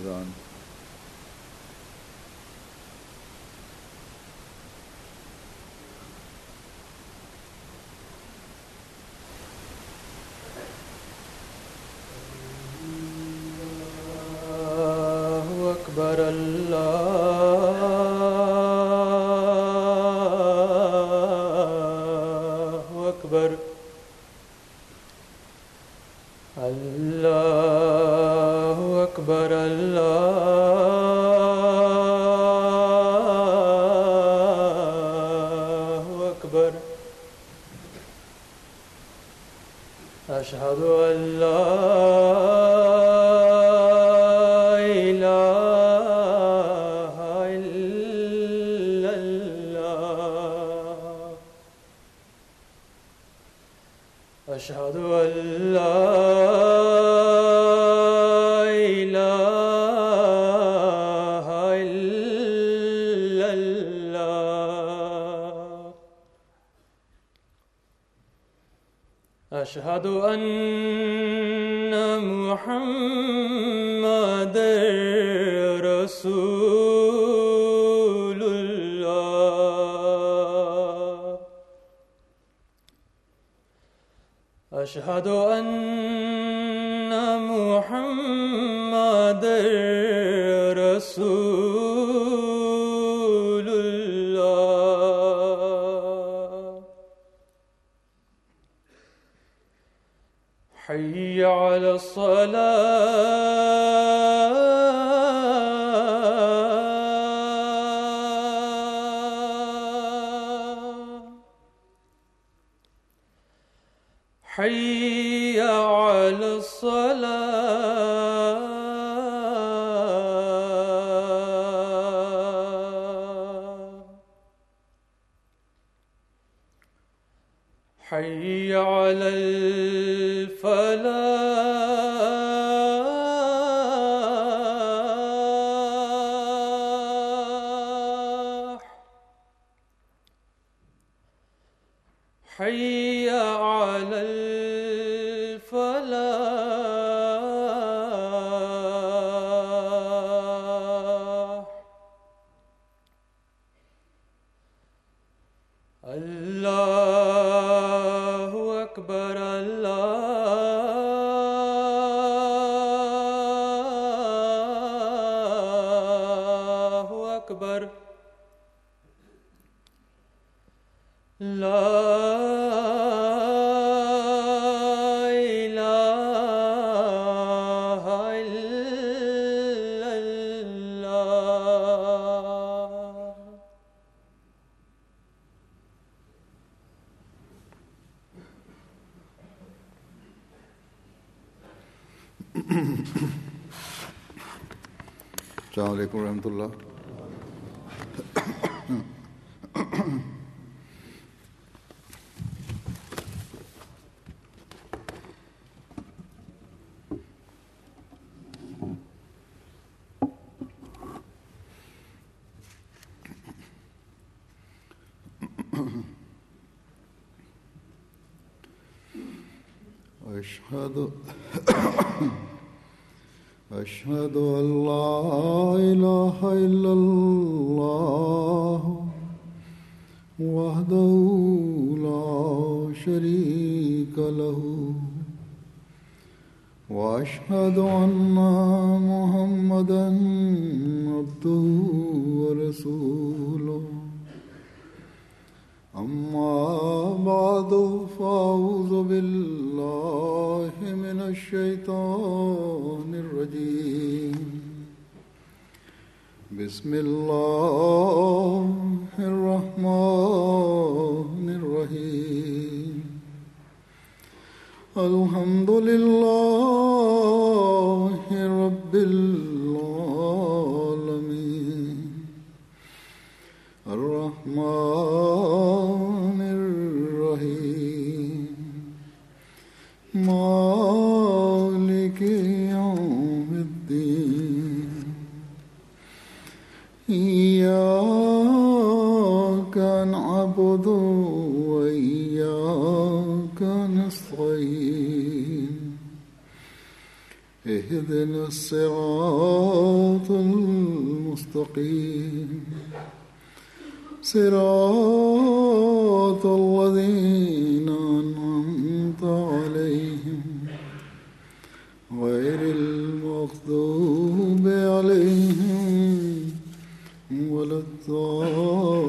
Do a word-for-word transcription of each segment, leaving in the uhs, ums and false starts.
الأذان. أشهد أن لا إله إلا الله. أشهد أن لا إله إلا الله. أشهد أن محمدًا رسول الله. أشهد أن محمدًا رسول الله. حي على الصلاة. حي على الصلاة. حي على الفلاح. حي على الفلاح. الله أكبر الله أكبر. لا إله إلا الله. السلام عليكم ورحمة الله. أشهد أشهد أن لا إله إلا الله وحده لا شريك له وأشهد أن محمدًا عبده ورسوله. أما بعد فأعوذ بالله من الشيطان الرجيم. بسم الله الرحمن الرحيم. الحمد لله رب العالمين. الرحمن الرحيم. مالك يوم الدين. إياك نعبد وإياك نستعين. اهدنا الصراط المستقيم صراط الذين أنعمت عليهم غير المغضوب عليهم ولا الضالين.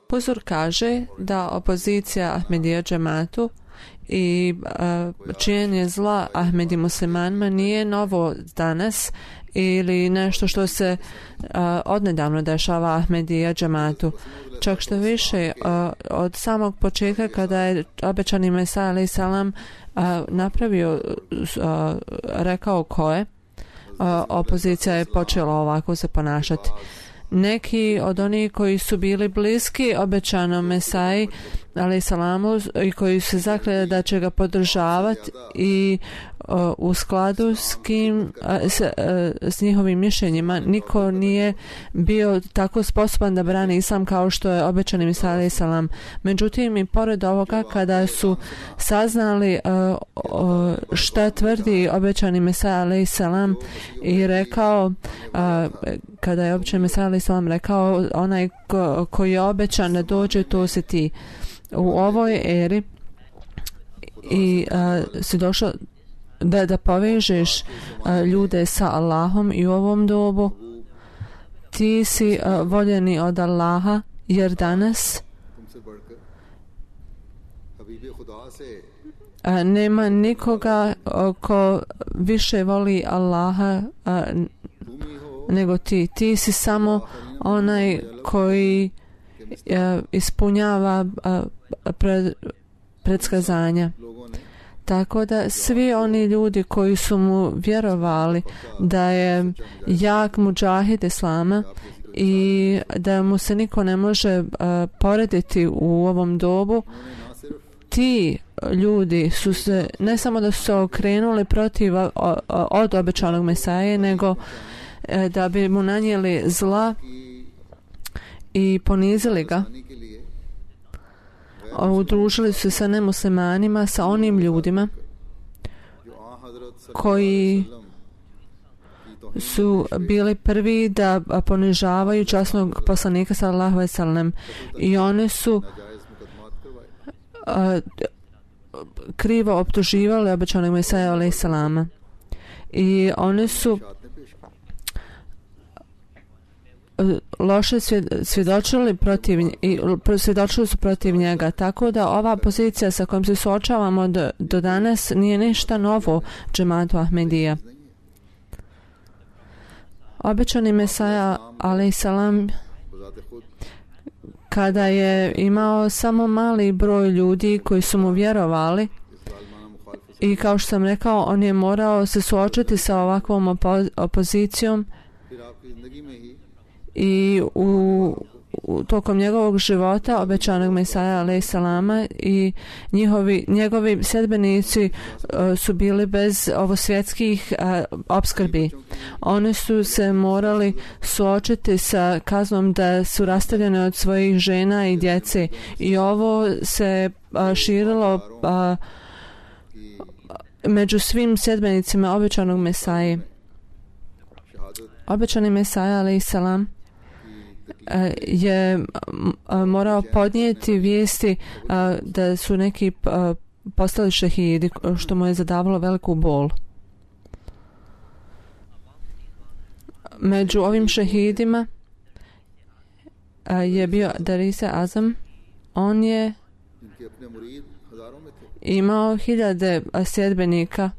Pozor kaže da opozicija Ahmedija džematu i uh, činjenje zla Ahmedi muslimanima nije novo danas ili nešto što se uh, odnedavno dešava Ahmedija džematu. Čak što više, uh, od samog početka kada je obećani Mesija alejhi salam uh, napravio, uh, rekao ko je, uh, opozicija je počela ovako se ponašati. Neki od onih koji su bili bliski obećanom Mesiji alejhi salamu i koji su zakljeli da će ga podržavati i uh, u skladu s kim uh, s, uh, s njihovim mišljenjima niko nije bio tako sposoban da brani islam kao što je obećani Mesija alejhi salam. Međutim, i pored ovoga, kada su saznali uh, uh, šta tvrdi obećani Mesija alejhi salam i rekao uh, kada je obećani Mesija alejhi salam rekao onaj ko, koji je obećan da dođe, to si ti. U ovoj eri i uh, si došao da, da povežeš uh, ljude sa Allahom i u ovom dobu ti si uh, voljeni od Allaha, jer danas uh, nema nikoga uh, ko više voli Allaha uh, nego ti. Ti si samo onaj koji uh, ispunjava uh, pred, predskazanja. Tako da svi oni ljudi koji su mu vjerovali da je jak muđahid islama i da mu se niko ne može uh, porediti u ovom dobu, ti ljudi su se, ne samo da su se okrenuli protiv o, o, od obećanog Mesaje, nego uh, da bi mu nanijeli zla i ponizili ga. Udružili su se sa nemuslimanima, sa onim ljudima koji su bili prvi da ponižavaju časnog poslanika sallallahu alejhi ve sellem, i oni su a, krivo optuživali obećanog Mesija alejhi selama i oni su loše svjedočili protiv i svjedočili su protiv njega, tako da ova pozicija sa kojom se suočavamo do, do danas nije ništa novo džematu Ahmedija. Obećani Mesija alejhi salam, kada je imao samo mali broj ljudi koji su mu vjerovali, i kao što sam rekao, on je morao se suočiti sa ovakvom opo- opozicijom i u, u tokom njegovog života obećanog Mesija alejhi salama i njihovi, njegovi sedbenici uh, su bili bez ovosvjetskih uh, opskrbi. Oni su se morali suočiti sa kaznom da su rastavljene od svojih žena i djece, i ovo se uh, širilo uh, među svim sedbenicima obećanog Mesije. Obećani Mesija alejhi salam je morao podnijeti vijesti da su neki postali šehidi, što mu je zadavalo veliku bol. Među ovim šehidima je bio Darise Azam. On je imao hiljade sljedbenika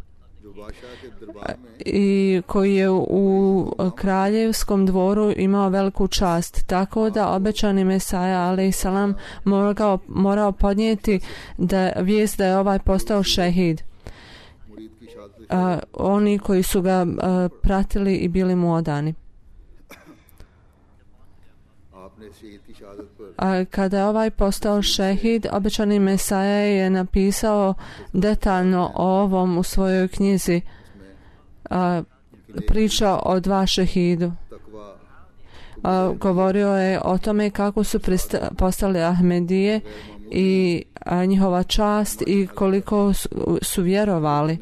i koji je u kraljevskom dvoru imao veliku čast, tako da obećani Mesija alejhi salam morao, morao podnijeti da vijest da je ovaj postao šehid. A, oni koji su ga a, pratili i bili mu odani. A kada je ovaj postao šehid, obećani Mesija je napisao detaljno o ovom u svojoj knjizi, a, priča o dva šehidu. a, govorio je o tome kako su prista, postali Ahmedije i a, njihova čast i koliko su, su vjerovali.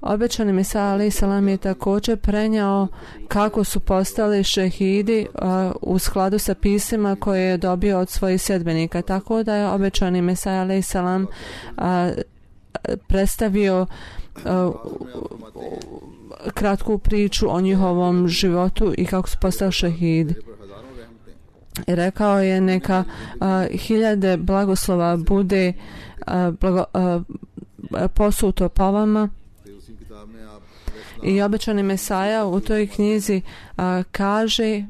Obećani Mesija alejhi selam je također prenjao kako su postali šehidi a, u skladu sa pisima koje je dobio od svojih sedbenika. Tako da je obećani Mesija alejhi selam predstavio a, kratku priču o njihovom životu i kako su postali šehidi. I rekao je neka a, hiljade blagoslova bude a, blago, a, posuto po vama. I obećani Mesaja u toj knjizi a, kaže: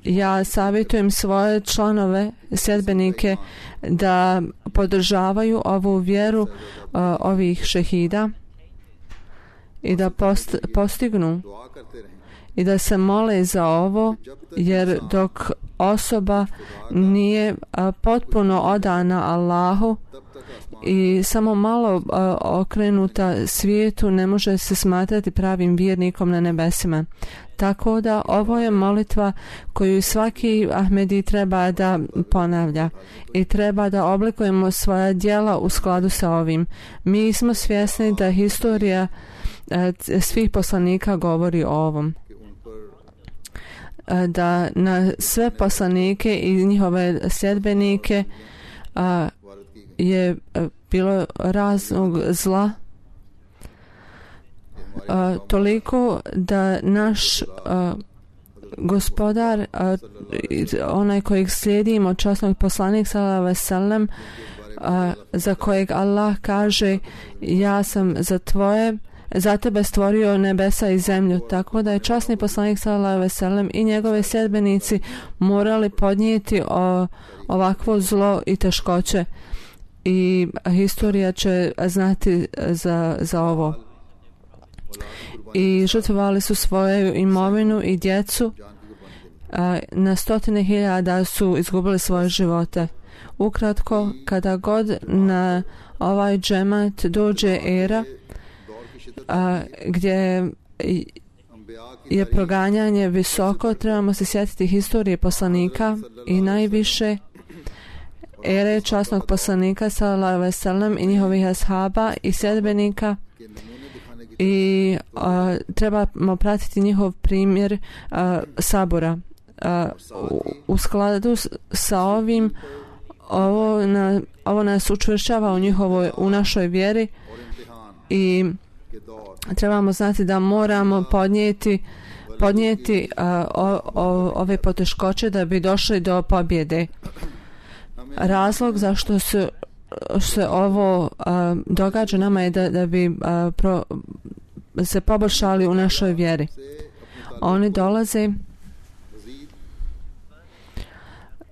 ja savjetujem svoje članove, sedbenike, da podržavaju ovu vjeru a, ovih šehida i da post, postignu i da se mole za ovo, jer dok osoba nije a, potpuno odana Allahu i samo malo a, okrenuta svijetu, ne može se smatrati pravim vjernikom na nebesima. Tako da ovo je molitva koju svaki Ahmedi treba da ponavlja i treba da oblikujemo svoja djela u skladu sa ovim. Mi smo svjesni da historija a, svih poslanika govori o ovom. A, da na sve poslanike i njihove sljedbenike a, je bilo raznog zla a, toliko da naš a, gospodar, a, onaj kojeg slijedimo, časnog poslanik sallallahu alejhi ve sellem, za kojeg Allah kaže: ja sam za tvoje za tebe stvorio nebesa i zemlju. Tako da je časni poslanik sallallahu alejhi ve sellem i njegove sedbenici morali podnijeti o, ovakvo zlo i teškoće. I historija će znati za, za ovo. I žrtvovali su svoju imovinu i djecu. A, na stotine hiljada su izgubili svoje živote. Ukratko, kada god na ovaj džemat dođe era a, gdje je proganjanje visoko, trebamo se sjetiti historije poslanika i najviše ere časnog poslanika sallallahu alejhi ve sellem i njihovih ashaba i sedbenika, i a, trebamo pratiti njihov primjer a, sabora. A, u, u skladu s, sa ovim ovo, na, ovo nas učvršćava u njihovoj, u našoj vjeri, i trebamo znati da moramo podnijeti podnijeti a, o, o, ove poteškoće da bi došli do pobjede. Razlog zašto se, se ovo a, događa nama je da, da bi a, pro, se poboljšali u našoj vjeri. Oni dolaze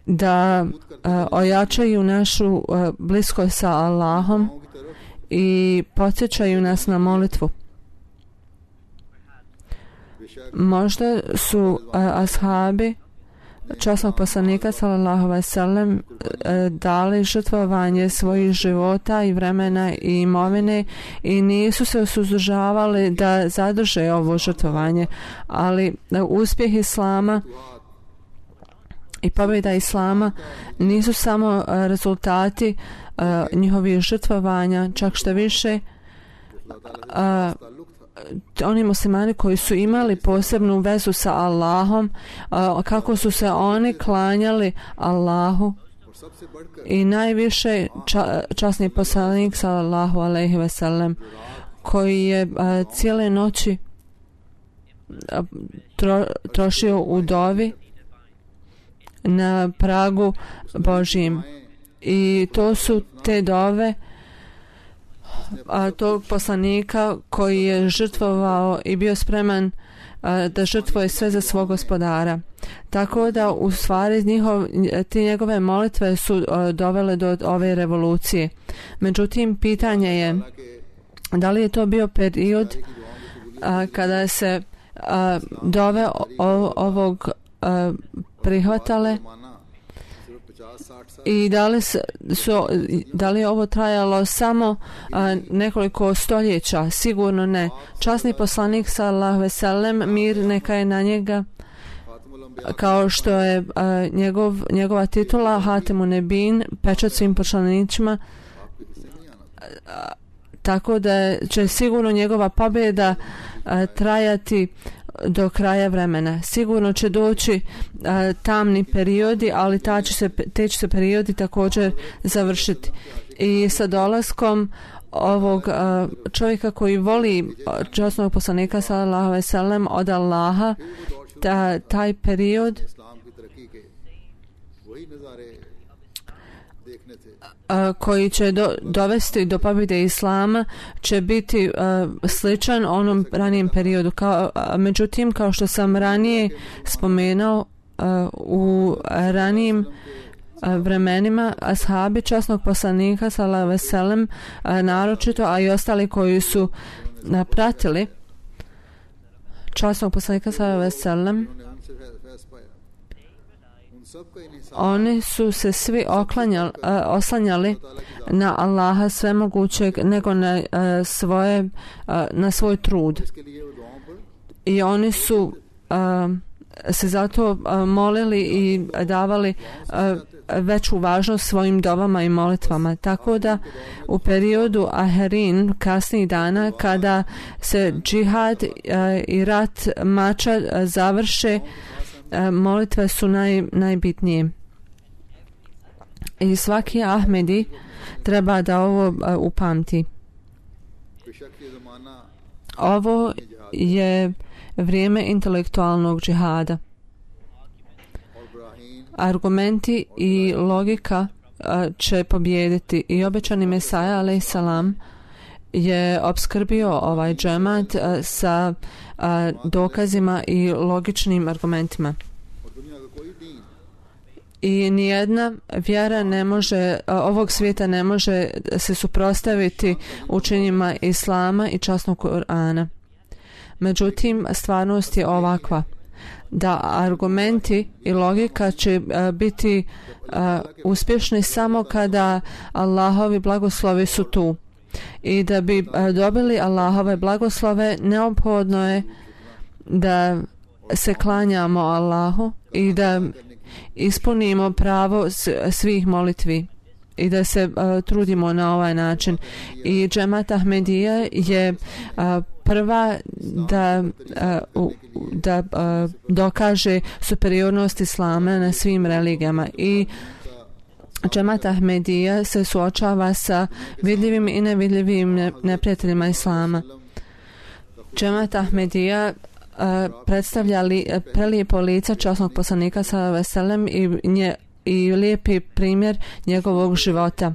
da a, ojačaju našu a, bliskost sa Allahom i podsjećaju nas na molitvu. Možda su a, ashabi časnog poslanika sallallahu alejhi ve sellem dali žrtvovanje svojih života i vremena i imovine i nisu se suzdržavali da zadrže ovo žrtvovanje, ali uspjeh Islama i pobjeda Islama nisu samo rezultati uh, njihovih žrtvovanja, čak što više uh, oni muslimani koji su imali posebnu vezu sa Allahom, uh, kako su se oni klanjali Allahu, i najviše ča, časni poslanik sallallahu alejhi ve sellem koji je uh, cijele noći uh, tro, trošio u dovi na pragu Božjim, i to su te dove a, tog poslanika koji je žrtvovao i bio spreman a, da žrtvuje sve za svog gospodara. Tako da u stvari njihov, te njegove molitve su a, dovele do ove revolucije. Međutim, pitanje je da li je to bio period a, kada se a, dove o, ovog a, prihvatale, i da li, su, da li je ovo trajalo samo a, nekoliko stoljeća? Sigurno ne. Časni poslanik sallallahu alejhi ve sellem, mir neka je na njega, kao što je a, njegov, njegova titula Hatimun Nebin, pečat svim poslanicima, tako da će sigurno njegova pobjeda a, trajati do kraja vremena. Sigurno će doći a, tamni periodi, ali ta će se, te će se periodi također završiti. I sa dolaskom ovog a, čovjeka koji voli časnog poslanika sallallahu alejhi ve sellem od Allaha, ta, taj period a, koji će do, dovesti do pobjede Islama će biti a, sličan onom ranijem periodu. Kao, a, međutim, kao što sam ranije spomenuo, a, u ranijim vremenima ashabi časnog poslanika sallallahu alejhi ve sellem, naročito, a i ostali koji su pratili časnog poslanika sallallahu alejhi ve sellem, oni su se svi oklanjali, oslanjali na Allaha svemogućeg nego na svoje na svoj trud. I oni su se zato molili i davali veću važnost svojim dovama i molitvama. Tako da u periodu Aherin, kasnijih dana, kada se džihad i rat mača završe, molitve su naj, najbitnije. I svaki Ahmedi treba da ovo upamti. Ovo je vrijeme intelektualnog džihada. Argumenti i logika će pobijediti i obećani Mesaja alejhi salam je opskrbio ovaj džemat sa dokazima i logičnim argumentima. I nijedna vjera ne može, ovog svijeta ne može se suprotstaviti učenjima Islama i časnog Kur'ana. Međutim, stvarnost je ovakva, da argumenti i logika će uh, biti uh, uspješni samo kada Allahovi blagoslovi su tu. I da bi uh, dobili Allahove blagoslove, neophodno je da se klanjamo Allahu i da ispunimo pravo svih molitvi i da se uh, trudimo na ovaj način. I džemat Ahmedija je uh, prva da, uh, da uh, dokaže superiornost Islama na svim religijama. I džemat Ahmedija se suočava sa vidljivim i nevidljivim neprijateljima Islama. Džemat Ahmedija uh, predstavlja li, prelijepo lice časnog poslanika sallallahu alejhi ve sellem i nje i lijepi primjer njegovog života.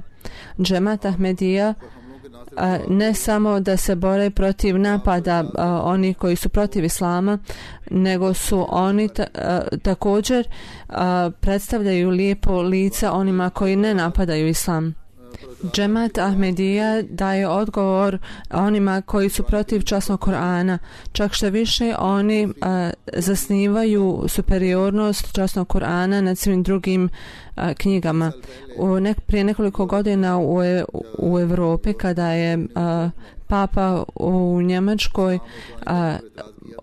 Džemat Ahmedija a, ne samo da se bore protiv napada a, onih koji su protiv Islama, nego su oni ta, a, također a, predstavljaju lijepo lice onima koji ne napadaju Islam. Džemat Ahmedija daje odgovor onima koji su protiv časnog Kur'ana. Čak što više oni a, zasnivaju superiornost časnog Kur'ana nad svim drugim a, knjigama. U nek, prije nekoliko godina u, u Evropi, kada je a, Papa u Njemačkoj a,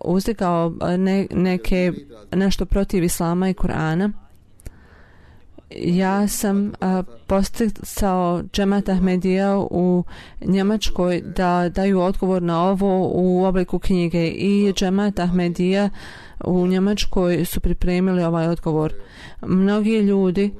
uzdigao ne, neke, nešto protiv Islama i Kur'ana, ja sam a, posticao džemat Ahmedija u Njemačkoj da daju odgovor na ovo u obliku knjige i džemat Ahmedija u Njemačkoj su pripremili ovaj odgovor. Mnogi ljudi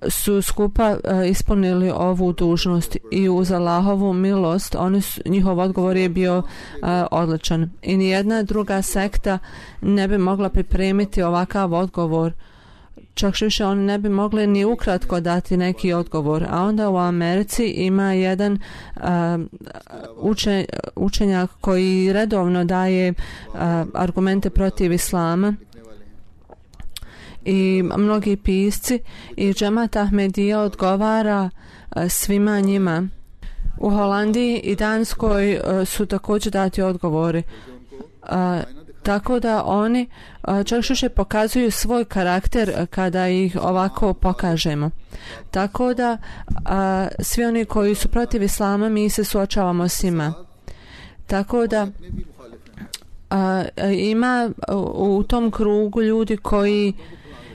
su skupa a, ispunili ovu dužnost i uz Allahovu milost oni su, njihov odgovor je bio a, odličan. I nijedna druga sekta ne bi mogla pripremiti ovakav odgovor. Čak više oni ne bi mogli ni ukratko dati neki odgovor. A onda u Americi ima jedan uh, učen, učenjak koji redovno daje uh, argumente protiv Islama i mnogi pisci i džemat Ahmedija odgovara uh, svima njima. U Holandiji i Danskoj uh, su također dati odgovori. Uh, Tako da oni čak više pokazuju svoj karakter kada ih ovako pokažemo. Tako da a, svi oni koji su protiv Islama, mi se suočavamo s njima. Tako da a, ima u, u tom krugu ljudi koji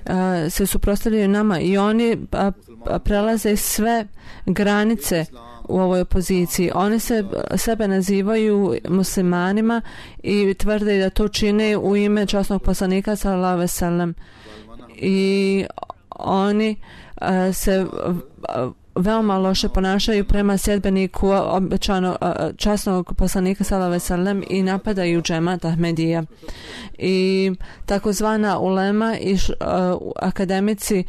a, se suprotstavljaju nama i oni a, a, prelaze sve granice u ovoj opoziciji. Oni se sebe nazivaju muslimanima i tvrde da to čine u ime časnog poslanika sallallahu alejhi ve sellem. I oni a, se a, veoma loše ponašaju prema sljedbeniku obećano časnog poslanika sallallahu alejhi ve sellem i napadaju džemat Ahmedija. I takozvana ulema i š, uh, akademici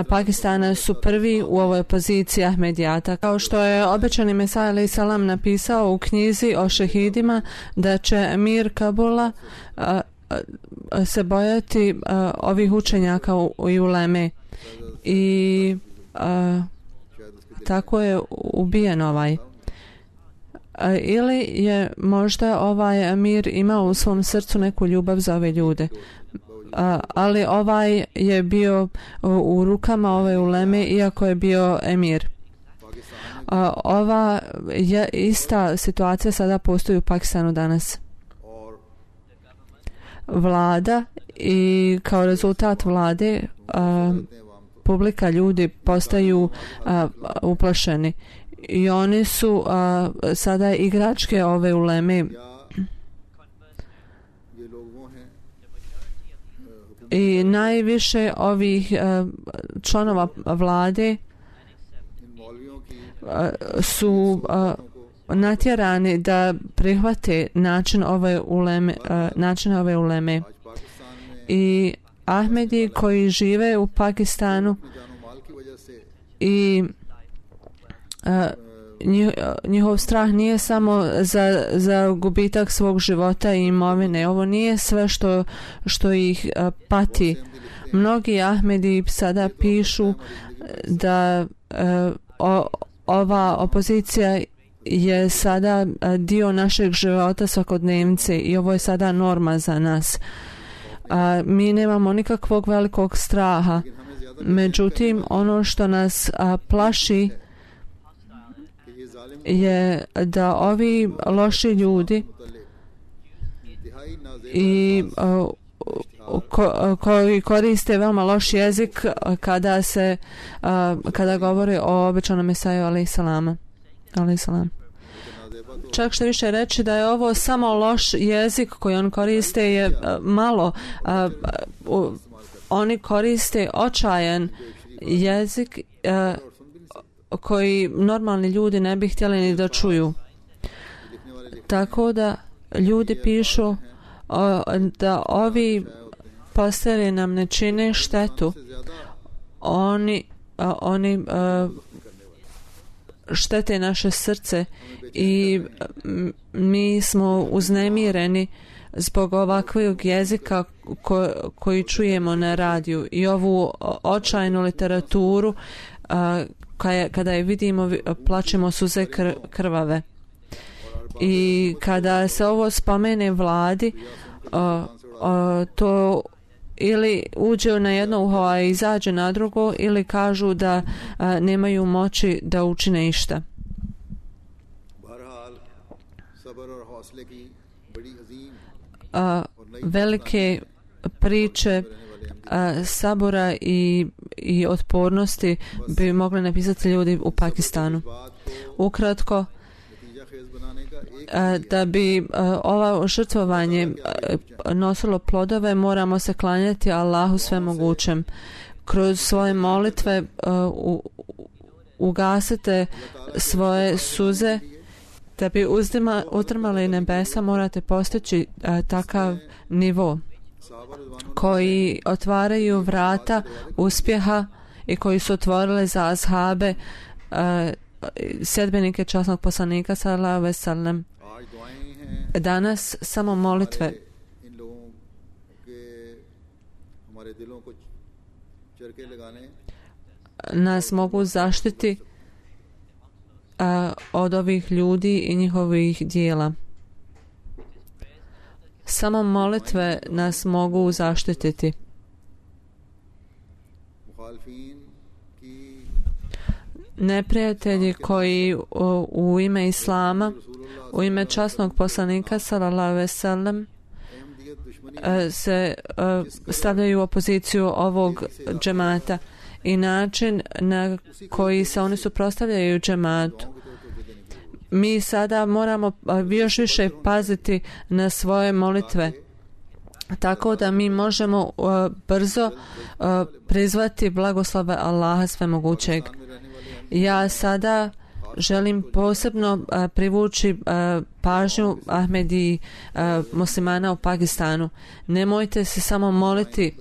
Pakistana su prvi u ovoj opoziciji Ahmedijata. Kao što je obećani Mesija alejhi selam napisao u knjizi o šehidima da će emir Kabula uh, uh, se bojati uh, ovih učenjaka u, i uleme. I uh, tako je ubijen ovaj. Ili je možda ovaj emir imao u svom srcu neku ljubav za ove ljude. Ali ovaj je bio u rukama ove uleme iako je bio emir. Ova je ista situacija sada postoji u Pakistanu danas. Vlada i kao rezultat vlade publika, ljudi postaju a, uplašeni i oni su a, sada igračke ove uleme i najviše ovih a, članova vlade a, su a, natjerani da prihvate način ove uleme, a, način ove uleme i Ahmedi koji žive u Pakistanu i uh, njih, njihov strah nije samo za, za gubitak svog života i imovine. Ovo nije sve što, što ih uh, pati. Mnogi Ahmedi sada pišu da uh, o, ova opozicija je sada uh, dio našeg života svakodnevnice i ovo je sada norma za nas. A, mi nemamo nikakvog velikog straha. Međutim, ono što nas a, plaši je da ovi loši ljudi i a, ko, koji koriste veoma loš jezik kada se a, kada govore o obećanom Mesiju alejhi selam. Alejhi selam. Čak što više reći da je ovo samo loš jezik koji on koriste je uh, malo. Uh, uh, oni koriste očajan jezik uh, koji normalni ljudi ne bi htjeli ni da čuju. Tako da ljudi pišu uh, da ovi posteri nam ne čine štetu. Oni, uh, oni uh, štete naše srce i mi smo uznemireni zbog ovakvog jezika ko, koji čujemo na radiju i ovu očajnu literaturu a, kada, kada je vidimo plačemo suze kr, krvave i kada se ovo spomene vladi a, a, to ili uđe na jedno uho a izađe na drugo ili kažu da a, nemaju moći da učine išta. A, velike priče a, sabora i, i otpornosti bi mogli napisati ljudi u Pakistanu. Ukratko, a, da bi a, ovo žrtvovanje a, nosilo plodove, moramo se klanjati Allahu svemogućem. Kroz svoje molitve a, u, ugasite svoje suze. Da bi uzdima, utrmali nebesa morate postići a, takav nivo koji otvaraju vrata uspjeha i koji su otvorile za ashabe a, sljedbenike časnog poslanika sallallahu alejhi ve sellem. Danas samo molitve nas mogu zaštiti a, od ovih ljudi i njihovih dijela. Samo molitve nas mogu zaštititi. Neprijatelji koji u, u ime Islama, u ime časnog poslanika sallallahu alejhi ve sellem se stavljaju u opoziciju ovog džemata i način na koji se oni suprotstavljaju džematu. Mi sada moramo još više paziti na svoje molitve, tako da mi možemo uh, brzo uh, prizvati blagoslove Allaha svemogućeg. Ja sada želim posebno uh, privući uh, pažnju Ahmedi uh, muslimana u Pakistanu. Nemojte se samo moliti,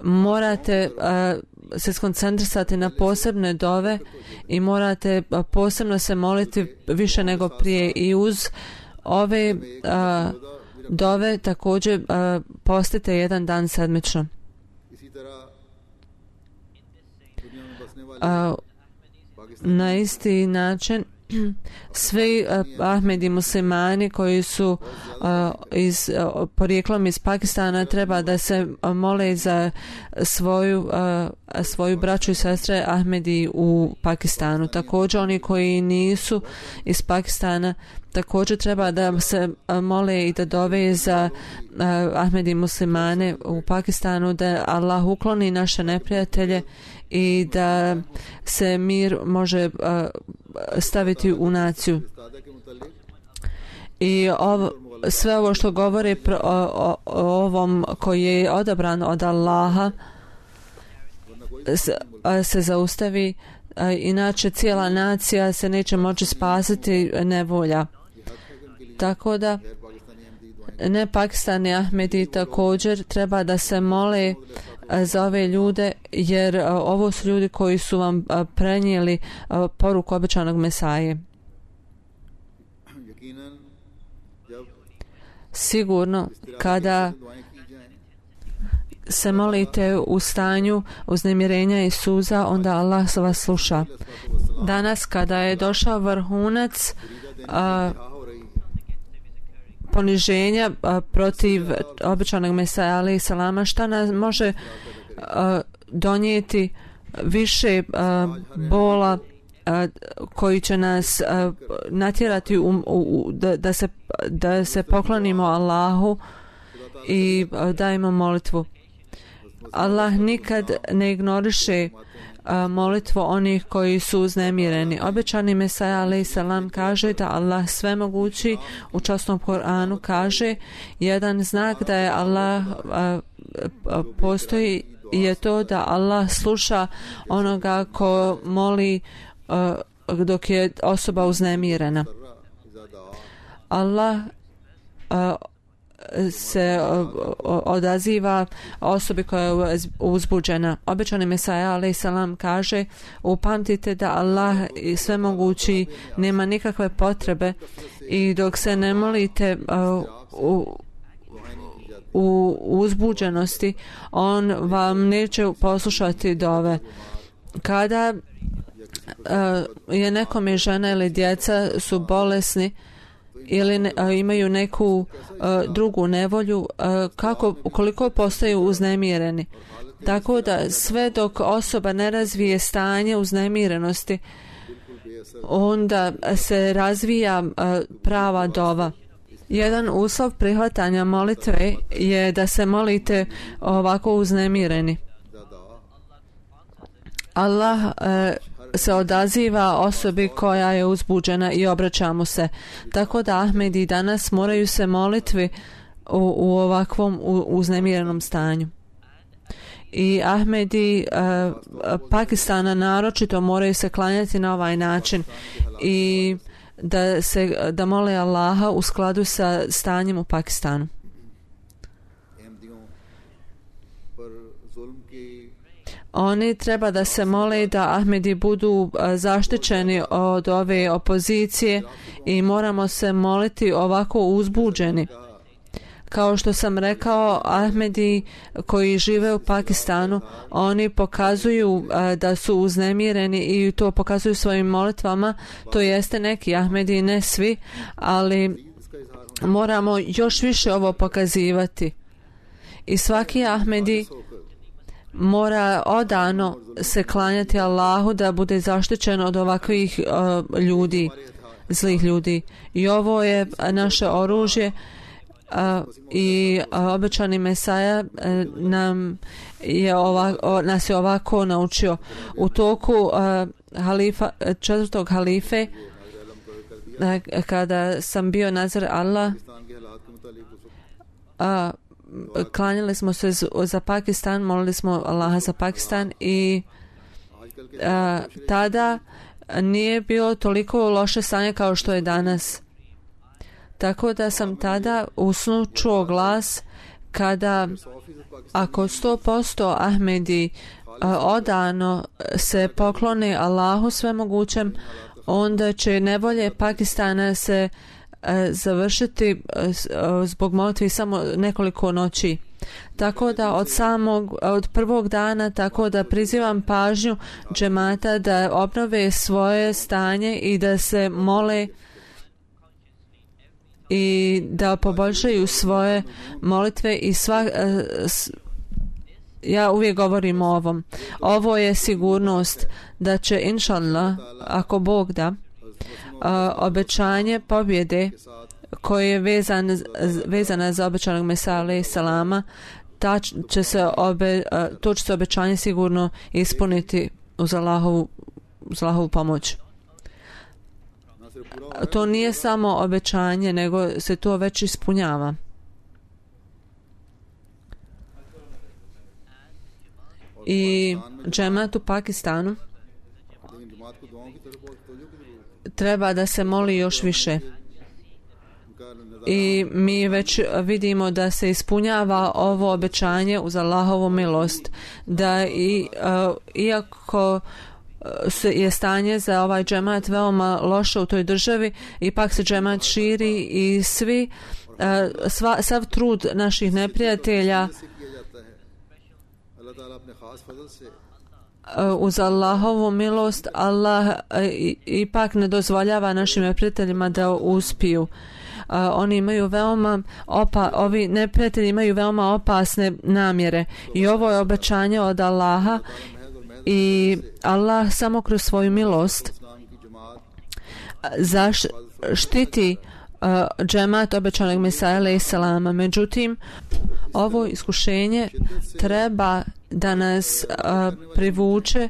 morate uh, se skoncentrisati na posebne dove i morate uh, posebno se moliti više nego prije i uz ove uh, dove također uh, postite jedan dan sedmično. Uh, na isti način svi uh, Ahmedi muslimani koji su uh, iz, uh, porijeklom iz Pakistana treba da se uh, mole za svoju, uh, svoju braću i sestre Ahmedi u Pakistanu. Također oni koji nisu iz Pakistana također treba da se uh, mole i da dove za uh, Ahmedi muslimane u Pakistanu, da Allah ukloni naše neprijatelje i da se mir može uh, staviti u naciju. I ovo, sve ovo što govori pro, o, o, o ovom koji je odabran od Allaha se, se zaustavi, a, inače cijela nacija se neće moći spasiti nevolja. Tako da ne Pakistani Ahmedi također treba da se mole za ove ljude, jer a, ovo su ljudi koji su vam a, prenijeli a, poruku obećanog Mesaje. Sigurno kada se molite u stanju uznemirenja i suza, onda Allah vas sluša. Danas kada je došao vrhunac a, poniženja a, protiv obećanog Mesaja alejhi selama, šta nas može a, donijeti više a, bola a, koji će nas a, natjerati u, u, u, da, da, se, da se poklonimo Allahu i a, dajemo molitvu. Allah nikad ne ignoriše a, molitvu onih koji su uznemireni. Obećani Mesaja alejhi selam kaže da Allah svemogući u časnom Koranu kaže jedan znak da je Allah a, a, postoji je to da Allah sluša onoga ko moli a, dok je osoba uznemirena. Allah a, se odaziva osobi koja je uzbuđena. Obećani Mesaja alejhi selam kaže upamtite da Allah svemogući nema nikakve potrebe i dok se ne molite uh, u, u uzbuđenosti on vam neće poslušati dove. Kada uh, je nekome žena ili djeca su bolesni ili ne, a, imaju neku a, drugu nevolju, a, kako, koliko postaju uznemireni. Tako da sve dok osoba ne razvije stanje uznemirenosti, onda se razvija a, prava dova. Jedan uslov prihvatanja molitve je da se molite ovako uznemireni. Allah a, se odaziva osobi koja je uzbuđena i obraća mu se. Tako da Ahmedi danas moraju se molitvi u, u ovakvom u, uznemirenom stanju. I Ahmedi uh, Pakistana naročito moraju se klanjati na ovaj način i da se da mole Allaha u skladu sa stanjem u Pakistanu. Oni treba da se mole da Ahmedi budu zaštićeni od ove opozicije i moramo se moliti ovako uzbuđeni. Kao što sam rekao, Ahmedi koji žive u Pakistanu, oni pokazuju da su uznemireni i to pokazuju svojim molitvama, to jeste neki Ahmedi, ne svi, ali moramo još više ovo pokazivati. I svaki Ahmedi mora odano se klanjati Allahu da bude zaštićen od ovakvih uh, ljudi, zlih ljudi. I ovo je naše oružje a, i a, obećani Mesaja a, nam je ova, o, nas je ovako naučio. U toku a, halifa, četvrtog halife, a, kada sam bio nazir Allah, a, klanjali smo se za Pakistan, molili smo Allaha za Pakistan i a, tada nije bilo toliko loše stanje kao što je danas. Tako da sam tada u snu čuo glas kada ako sto posto Ahmedi a, odano se poklone Allahu svemogućem, onda će nevolje Pakistana se a, završiti a, zbog molitvi samo nekoliko noći. Tako da od samog, od prvog dana, tako da prizivam pažnju džemata da obnove svoje stanje i da se mole i da poboljšaju svoje molitve i sva, ja uvijek govorim o ovom. Ovo je sigurnost da će inšallah, ako Bog da, obećanje pobjede koje je vezan, vezana za obećanog Mesija alejhi salama, ta će se obe, to će se obećanje sigurno ispuniti uz Allahovu, uz Allahovu pomoć. To nije samo obećanje, nego se to već ispunjava. I džemat u Pakistanu treba da se moli još više. I mi već vidimo da se ispunjava ovo obećanje uz Allahovu milost, da i, uh, iako se je stanje za ovaj džemat veoma loše u toj državi, ipak se džemat širi i svi uh, sva, sav trud naših neprijatelja uh, uz Allahovu milost Allah uh, ipak ne dozvoljava našim neprijateljima da uspiju. Uh, oni imaju veoma opa, ovi neprijatelji imaju veoma opasne namjere i ovo je obećanje od Allaha i Allah samo kroz svoju milost zaštiti uh, džemat obećanog Mesija alejhi salama. Međutim, ovo iskušenje treba da nas uh, privuče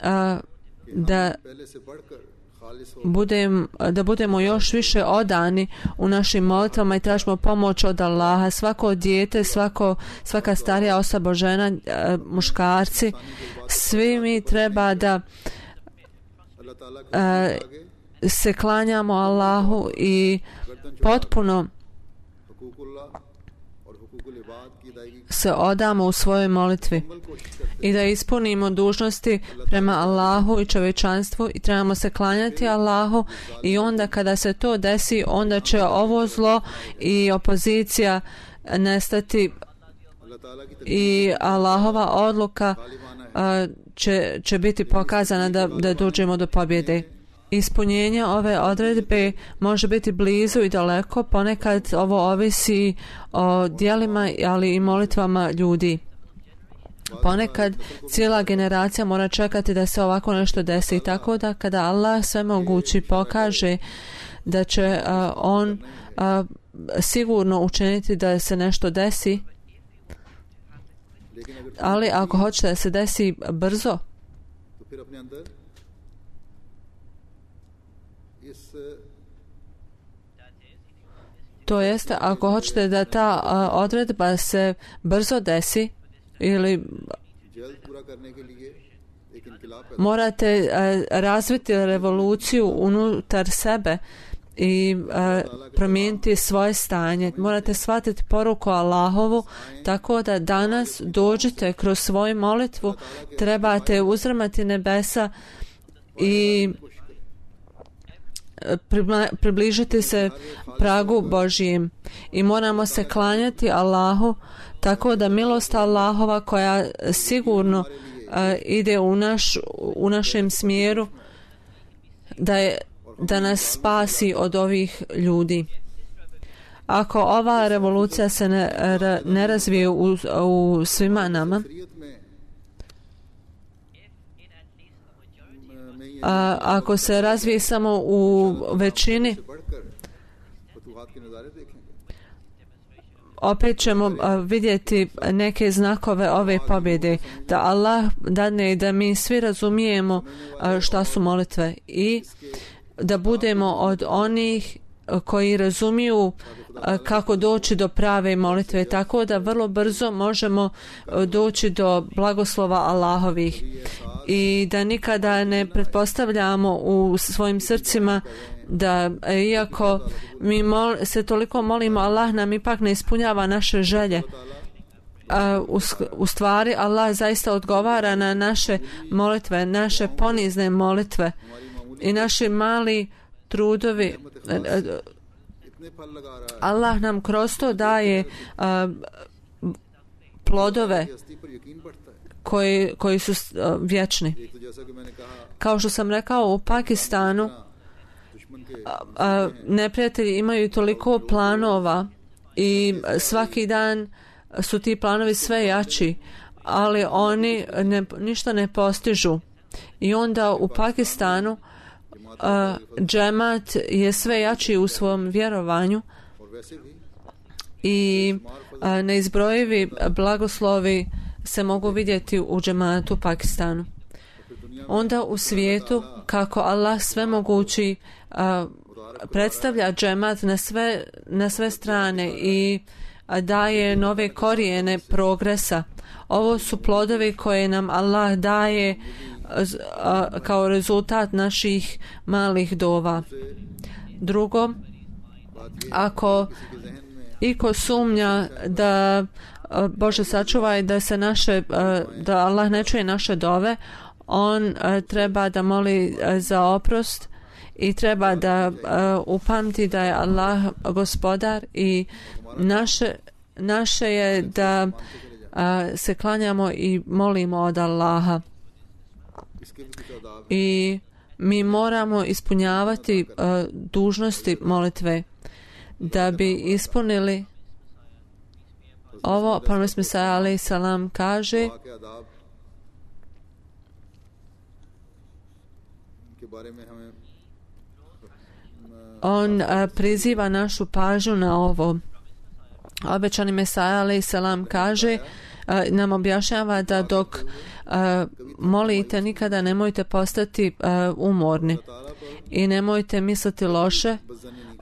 uh, da Budem, da budemo još više odani u našim molitvama i tražimo pomoć od Allaha. Svako dijete, svako, svaka starija osoba, žena, muškarci, svi mi treba da a, se klanjamo Allahu i potpuno se odamo u svojoj molitvi i da ispunimo dužnosti prema Allahu i čovječanstvu i trebamo se klanjati Allahu i onda kada se to desi, onda će ovo zlo i opozicija nestati i Allahova odluka a, će, će biti pokazana da, da dođemo do pobjede. Ispunjenje ove odredbe može biti blizu i daleko, ponekad ovo ovisi o djelima, ali i molitvama ljudi. Ponekad cijela generacija mora čekati da se ovako nešto desi, tako da kada Allah svemogući pokaže da će uh, on uh, sigurno učiniti da se nešto desi, ali ako hoće da se desi brzo, to jeste ako hoćete da ta uh, odredba se brzo desi ili morate uh, razviti revoluciju unutar sebe i uh, promijeniti svoje stanje. Morate shvatiti poruku Allahovu, tako da danas dođete kroz svoju molitvu, trebate uzrmati nebesa i približiti se pragu Božijem i moramo se klanjati Allahu, tako da milost Allahova koja sigurno uh, ide u, naš, u našem smjeru da, je, da nas spasi od ovih ljudi. Ako ova revolucija se ne, ne razvije u, u svima nama, a ako se razvije samo u većini, opet ćemo vidjeti neke znakove ove pobjede, da Allah dadne da mi svi razumijemo šta su molitve i da budemo od onih koji razumiju kako doći do prave molitve, tako da vrlo brzo možemo doći do blagoslova Allahovih i da nikada ne pretpostavljamo u svojim srcima da iako mi mol, se toliko molimo, Allah nam ipak ne ispunjava naše želje. U, u stvari Allah zaista odgovara na naše molitve, naše ponizne molitve i naši mali trudovi. Allah nam kroz to daje uh, plodove koji, koji su uh, vječni. Kao što sam rekao, u Pakistanu uh, uh, neprijatelji imaju toliko planova i svaki dan su ti planovi sve jači, ali oni ne, ništa ne postižu. I onda u Pakistanu Uh, džemat je sve jači u svom vjerovanju i uh, neizbrojivi blagoslovi se mogu vidjeti u džematu u Pakistanu. Onda u svijetu kako Allah svemogući uh, predstavlja džemat na sve, na sve strane i uh, daje nove korijene progresa. Ovo su plodovi koje nam Allah daje kao rezultat naših malih dova. Drugo, ako iko sumnja da Bože sačuvaj da se naše da Allah ne čuje naše dove, on treba da moli za oprost i treba da upamti da je Allah gospodar i naše, naše je da se klanjamo i molimo od Allaha. I mi moramo ispunjavati uh, dužnosti molitve da bi ispunili ovo. Prorok Mesija alejhi selam kaže on uh, priziva našu pažnju na ovo. Obećani Mesija alejhi selam kaže uh, nam objašnjava da dok Uh, molite, nikada nemojte postati uh, umorni i nemojte misliti loše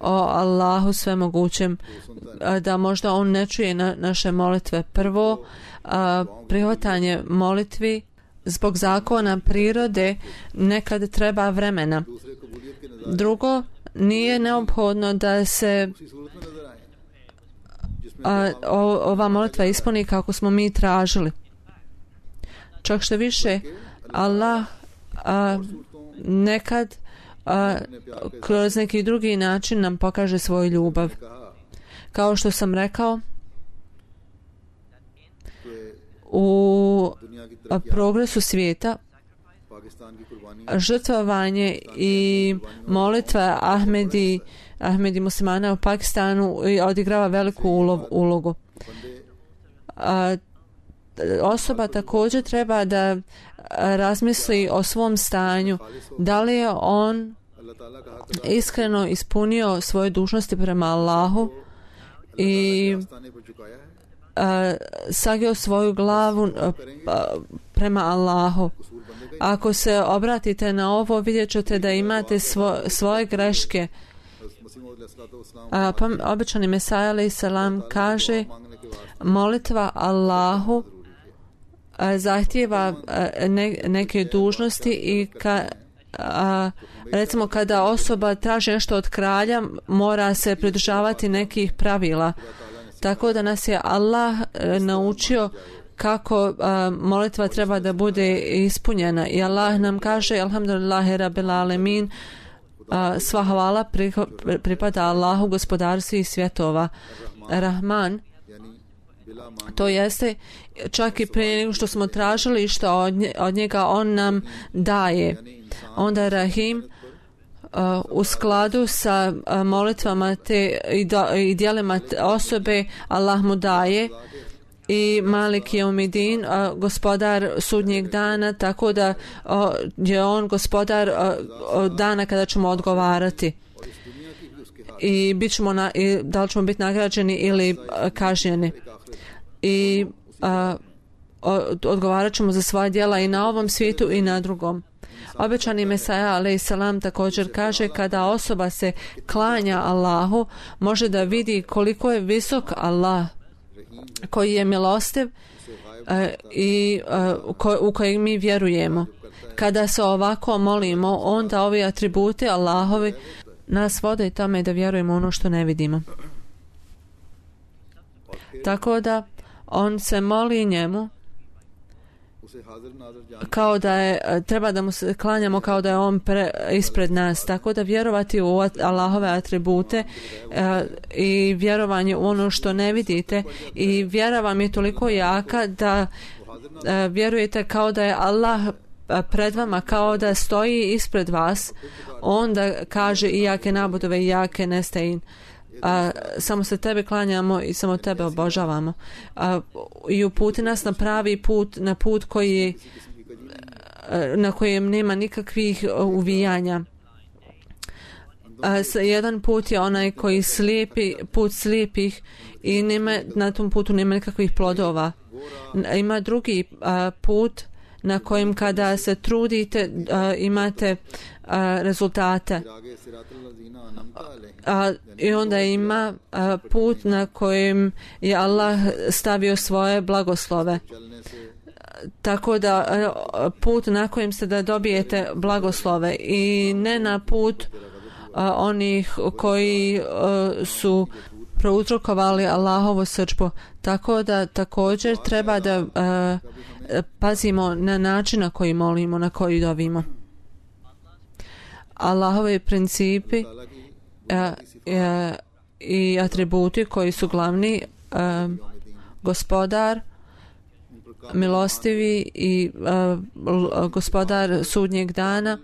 o Allahu svemogućem, uh, da možda on ne čuje na, naše molitve. Prvo, uh, prihvatanje molitvi zbog zakona prirode nekad treba vremena. Drugo, nije neophodno da se uh, ova molitva ispuni kako smo mi tražili. Čak što više, Allah a, nekad a, kroz neki drugi način nam pokaže svoju ljubav. Kao što sam rekao, u a, progresu svijeta žrtvovanje i molitva Ahmedi, Ahmedi muslimana u Pakistanu odigrava veliku ulogu. A, osoba također treba da razmisli o svom stanju, da li je on iskreno ispunio svoje dužnosti prema Allahu i a, sagio svoju glavu a, prema Allahu. Ako se obratite na ovo, vidjet ćete da imate svo, svoje greške. A, pa, obećani Mesija alejhi selam kaže molitva Allahu zahtijeva ne, neke dužnosti i ka, a, recimo kada osoba traži nešto od kralja, mora se pridržavati nekih pravila. Tako da nas je Allah naučio kako a, molitva treba da bude ispunjena. I Allah nam kaže alhamdulillahi rabbil alemin, a, sva hvala pripada Allahu, gospodaru svih svjetova. Rahman, to jeste čak i prije nego što smo tražili što od, nje, od njega on nam daje. Onda Rahim uh, u skladu sa uh, molitvama te i, do, i dijelima te osobe Allah mu daje i Malik je umidin, uh, gospodar sudnjeg dana, tako da uh, je on gospodar uh, dana kada ćemo odgovarati. i, bit ćemo na, i da li ćemo biti nagrađeni ili a, kažnjeni. I a, odgovarat ćemo za svoja djela i na ovom svijetu i na drugom. Obećani Mesaja alejhi selam također kaže kada osoba se klanja Allahu može da vidi koliko je visok Allah koji je milostiv uh, i uh, ko, u kojeg mi vjerujemo. Kada se ovako molimo, onda ovi atributi Allahovi nas vode tome da vjerujemo ono što ne vidimo. Tako da on se moli njemu kao da je, treba da mu se klanjamo kao da je on pre, ispred nas, tako da vjerovati u Allahove atribute e, i vjerovanje u ono što ne vidite i vjera vam je toliko jaka da e, vjerujete kao da je Allah pred vama, kao da stoji ispred vas. Onda kaže i jake nabudove i jake nestein. A, samo se tebe klanjamo i samo tebe obožavamo. A, i uputi nas na pravi put, na put koji je, na kojem nema nikakvih uvijanja. A, jedan put je onaj koji slijepi, put slijepih i nema, na tom putu nema nikakvih plodova. Ima drugi a, put na kojem kada se trudite a, imate a, rezultate. A, i onda ima a, put na kojem je Allah stavio svoje blagoslove. Tako da a, put na kojem ste da dobijete blagoslove i ne na put a, onih koji a, su prouzrokovali Allahovu srdžbu. Tako da također treba da a, pazimo na način na koji molimo, na koji dovimo. Allahovi principi a, a, i atributi koji su glavni a, gospodar milostivi i a, gospodar sudnjeg dana.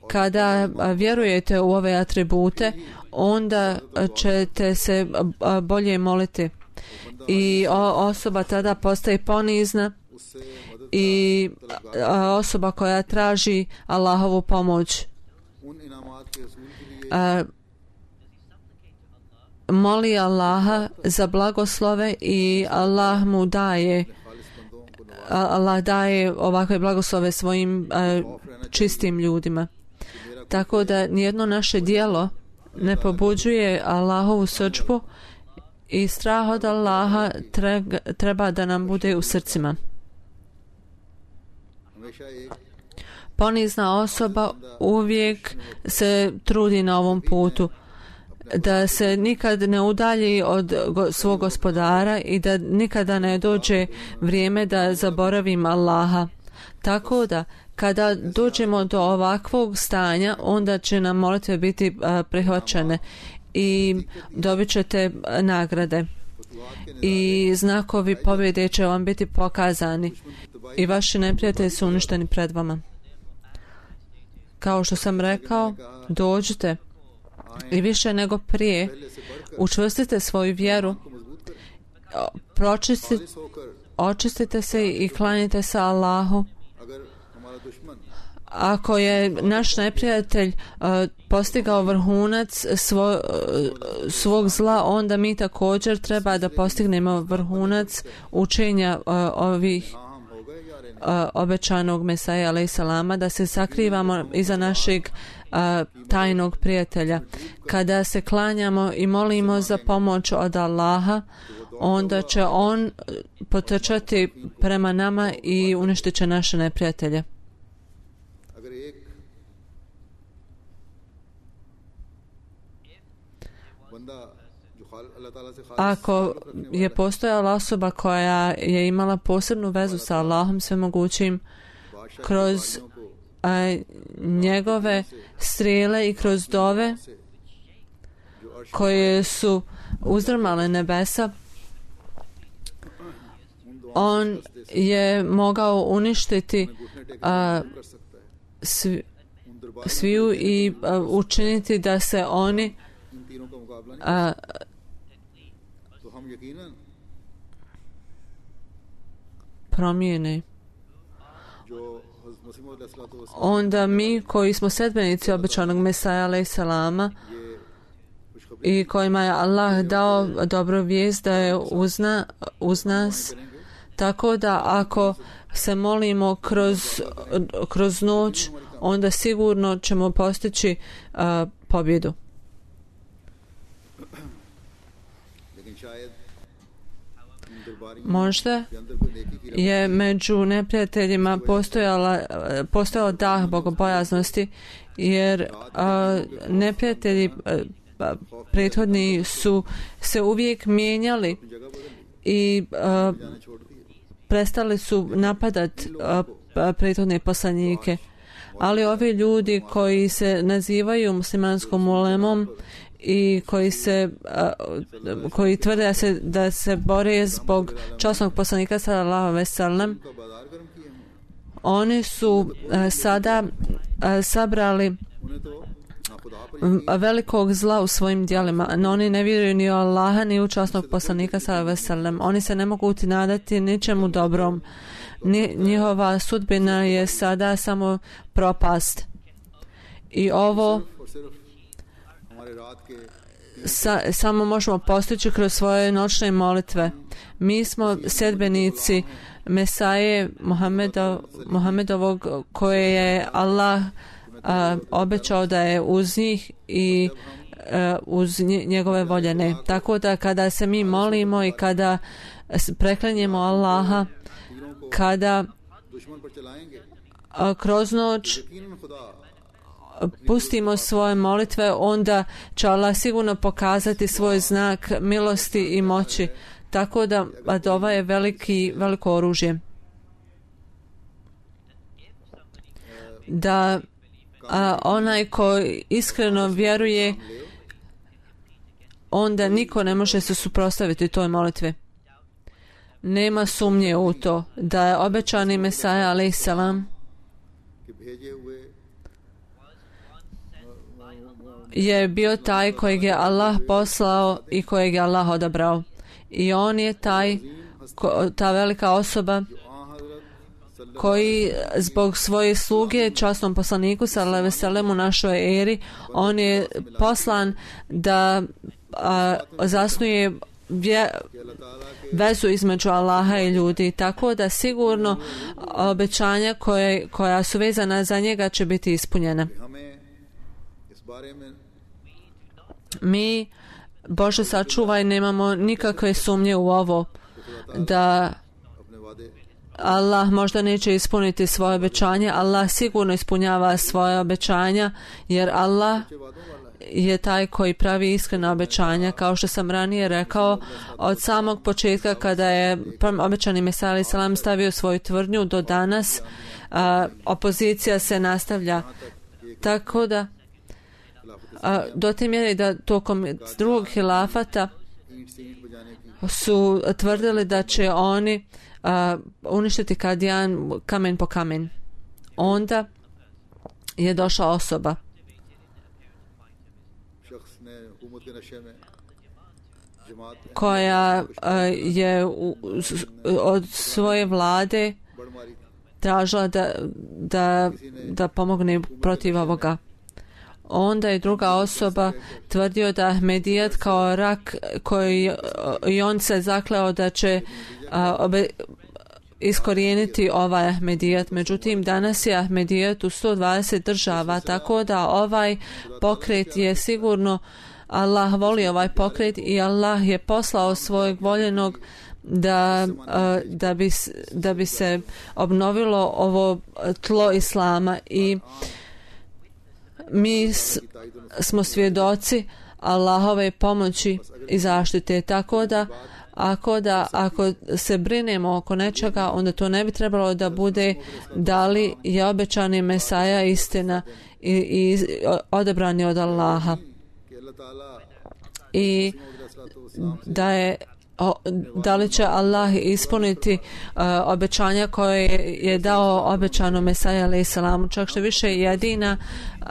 Kada a, vjerujete u ove atribute, onda ćete se a, bolje moliti i o, osoba tada postaje ponizna i a, osoba koja traži Allahovu pomoć a, moli Allaha za blagoslove i Allah mu daje Allah daje ovakve blagoslove svojim a, čistim ljudima. Tako da nijedno naše djelo ne pobuđuje Allahovu srdžbu i strah od Allaha treba da nam bude u srcima. Ponizna osoba uvijek se trudi na ovom putu da se nikad ne udalji od go, svog gospodara i da nikada ne dođe vrijeme da zaboravim Allaha. Tako da kada dođemo do ovakvog stanja, onda će nam molitve biti a, prihvaćene i dobit ćete nagrade i znakovi pobjede će vam biti pokazani i vaši neprijatelji su uništeni pred vama. Kao što sam rekao, dođite i više nego prije učvrstite svoju vjeru, pročistite, očistite se i klanjite se Allahu. Ako je naš neprijatelj uh, postigao vrhunac svo, uh, svog zla, onda mi također treba da postignemo vrhunac učenja uh, ovih uh, obećanog Mesaja alejhi selama, da se sakrivamo iza našeg uh, tajnog prijatelja. Kada se klanjamo i molimo za pomoć od Allaha, onda će on potrčati prema nama i uništit će naše neprijatelje. Ako je postojala osoba koja je imala posebnu vezu sa Allahom svemogućim kroz a, njegove strijele i kroz dove koje su uzdrmale nebesa, on je mogao uništiti a, svi, sviju i a, učiniti da se oni a, promijene. Onda mi koji smo sedbenici obećanog Mesaja alejhi selama i kojima je Allah dao dobru vijest da je uz, na, uz nas. Tako da ako se molimo kroz, kroz noć, onda sigurno ćemo postići uh, pobjedu. Možda je među neprijateljima postojala, postojao dah bogobojaznosti, jer a, neprijatelji a, prethodni su se uvijek mijenjali i a, prestali su napadat a, prethodne poslanike. Ali ovi ljudi koji se nazivaju muslimanskom ulemom i koji se uh, koji tvrde da se, da se bore zbog časnog poslanika sallallahu alejhi ve sellem, oni su uh, sada uh, sabrali velikog zla u svojim djelima, no oni ne vjeruju ni u Allaha ni u časnog poslanika sallallahu alejhi ve sellem. Oni se ne mogu nadati ničemu dobrom. Ni, njihova sudbina je sada samo propast. I ovo Sa, samo možemo postići kroz svoje noćne molitve. Mi smo sedbenici Mesaje Muhammedov, Muhammedovog koje je Allah a, obećao da je uz njih i a, uz njegove voljene. Tako da kada se mi molimo i kada preklinjemo Allaha, kada a, kroz noć pustimo svoje molitve, onda će Allah sigurno pokazati svoj znak milosti i moći. Tako da dova je veliki, veliko oružje. Da a, onaj ko iskreno vjeruje, onda niko ne može se suprotstaviti toj molitvi. Nema sumnje u to da je obećani Mesaja alejhiselam je bio taj kojeg je Allah poslao i kojeg je Allah odabrao. I on je taj, ko, ta velika osoba koji zbog svoje sluge časnom poslaniku sallallahu alejhi ve sellem u našoj eri, on je poslan da a, zasnuje vje, vezu između Allaha i ljudi. Tako da sigurno obećanja koje, koja su vezana za njega će biti ispunjena. Mi, Bože sačuvaj, nemamo nikakve sumnje u ovo da Allah možda neće ispuniti svoje obećanje. Allah sigurno ispunjava svoje obećanja, jer Allah je taj koji pravi iskrena obećanja. Kao što sam ranije rekao, od samog početka kada je obećani Mesija alejhi selam stavio svoju tvrdnju do danas, a, opozicija se nastavlja. Tako da a, do te mjere da tokom drugog hilafata su tvrdili da će oni a, uništiti Kadijan kamen po kamen. Onda je došla osoba koja a, je u, od svoje vlade tražila da, da, da pomogne protiv ovoga. Onda je druga osoba tvrdio da Ahmedijat kao rak koji i on se zakleo da će a, obe, iskorijeniti ovaj Ahmedijat. Međutim, danas je Ahmedijat u sto dvadeset država, tako da ovaj pokret je sigurno, Allah voli ovaj pokret i Allah je poslao svojeg voljenog da, da, bi, da bi se obnovilo ovo tlo Islama. I mi s, smo svjedoci Allahove pomoći i zaštite. Tako da ako, da ako se brinemo oko nečega, onda to ne bi trebalo da bude da li je obećani Mesaja istina i, i odabrani od Allaha. I da je O, da li će Allah ispuniti uh, obećanja koje je dao obećano Mesaja alejhi selam. Čak što više jedina uh,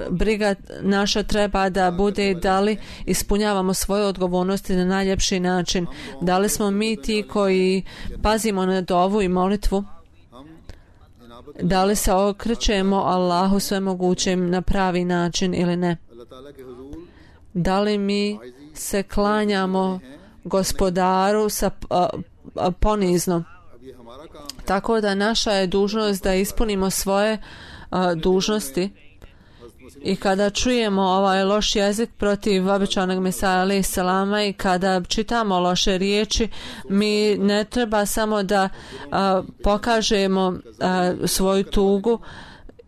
briga naša treba da bude da li ispunjavamo svoje odgovornosti na najljepši način. Da li smo mi ti koji pazimo na dovu i molitvu? Da li se okrećemo Allahu svemogućem na pravi način ili ne? Da li mi se klanjamo gospodaru sa a, a, ponizno? Tako da naša je dužnost da ispunimo svoje a, dužnosti. I kada čujemo ovaj loš jezik protiv obećanog Mesaja alejhi selama i kada čitamo loše riječi, mi ne treba samo da a, pokažemo a, svoju tugu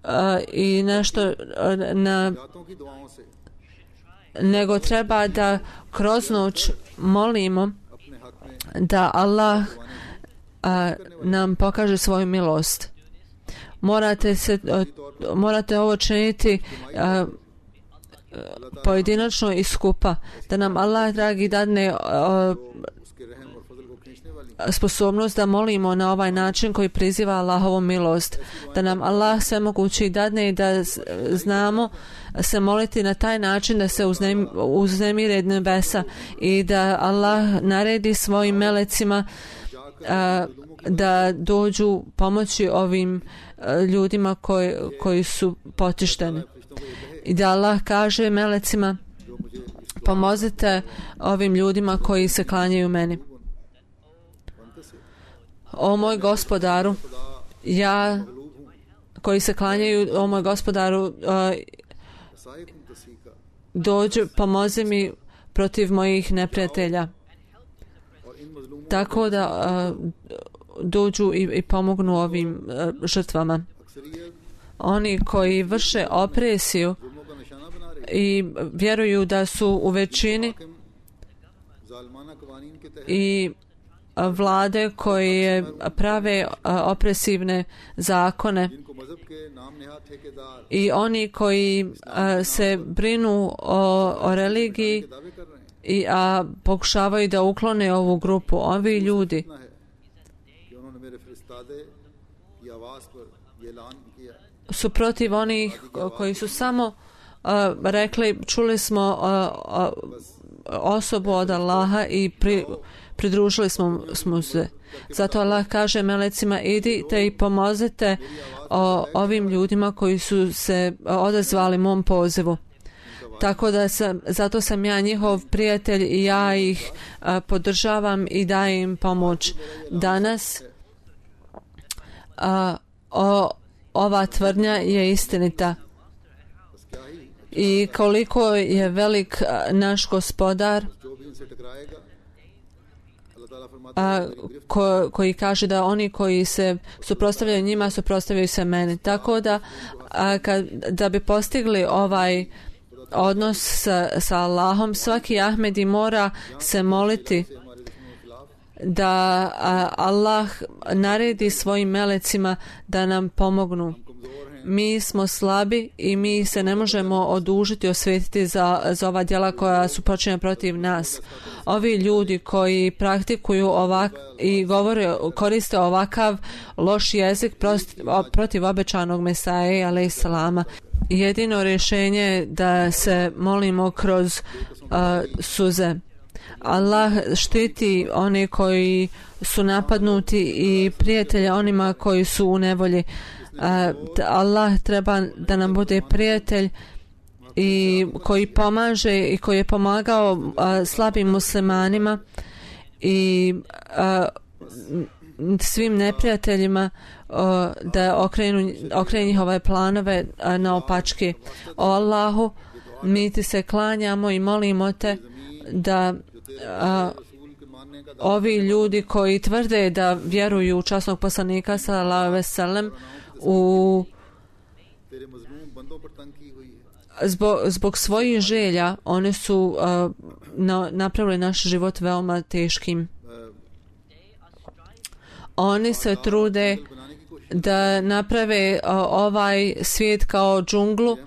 a, i nešto a, na nego treba da kroz noć molimo da Allah a, nam pokaže svoju milost. Morate se morate ovo činiti a, pojedinačno i skupa, da nam Allah dragi dadne a, sposobnost da molimo na ovaj način koji priziva Allahovu milost, da nam Allah sve mogući dadne i da znamo se moliti na taj način da se uznem, uznemire nebesa i da Allah naredi svojim melecima a, da dođu pomoći ovim a, ljudima koji, koji su potišteni. I da Allah kaže melecima, pomozite ovim ljudima koji se klanjaju meni. O moj gospodaru, ja koji se klanjaju, o moj gospodaru, uh, dođu, pomozi mi protiv mojih neprijatelja. Tako da uh, dođu i, i pomognu ovim uh, žrtvama. Oni koji vrše opresiju i vjeruju da su u većini i vlade koje prave opresivne zakone i oni koji se brinu o, o religiji i a pokušavaju da uklone ovu grupu. Ovi ljudi su protiv onih koji su samo uh, rekli, čuli smo uh, uh, osobu od Allaha i pri, pridružili smo, smo se. Zato Allah kaže melecima, idite i pomozite o, ovim ljudima koji su se odazvali mom pozivu. Tako da sam, zato sam ja njihov prijatelj i ja ih a, podržavam i dajem im pomoć. Danas a, o, ova tvrdnja je istinita. I koliko je velik a, naš gospodar, a, ko, koji kaže da oni koji se suprotstavljaju njima, suprotstavljaju se meni. Tako da a, kad, da bi postigli ovaj odnos sa, sa Allahom, svaki Ahmedi mora se moliti da a, Allah naredi svojim melecima da nam pomognu. Mi smo slabi i mi se ne možemo odužiti, osvetiti za, za ova djela koja su počinjena protiv nas. Ovi ljudi koji praktikuju ovak i govore, koriste ovakav loš jezik protiv, protiv obećanog Mesaje alejhi selama. Jedino rješenje je da se molimo kroz uh, suze. Allah štiti one koji su napadnuti i prijatelje onima koji su u nevolji. Uh, Allah treba da nam bude prijatelj i koji pomaže i koji je pomagao uh, slabim muslimanima i uh, svim neprijateljima uh, da okrenu, okrenu njihove planove uh, na opačke. O Allahu, mi ti se klanjamo i molimo te da uh, ovi ljudi koji tvrde da vjeruju u časnog poslanika sallallahu alejhi ve sellem u zbog, zbog svojih želja oni su uh, na, napravili naš život veoma teškim. Oni se trude da naprave uh, ovaj svijet kao džunglu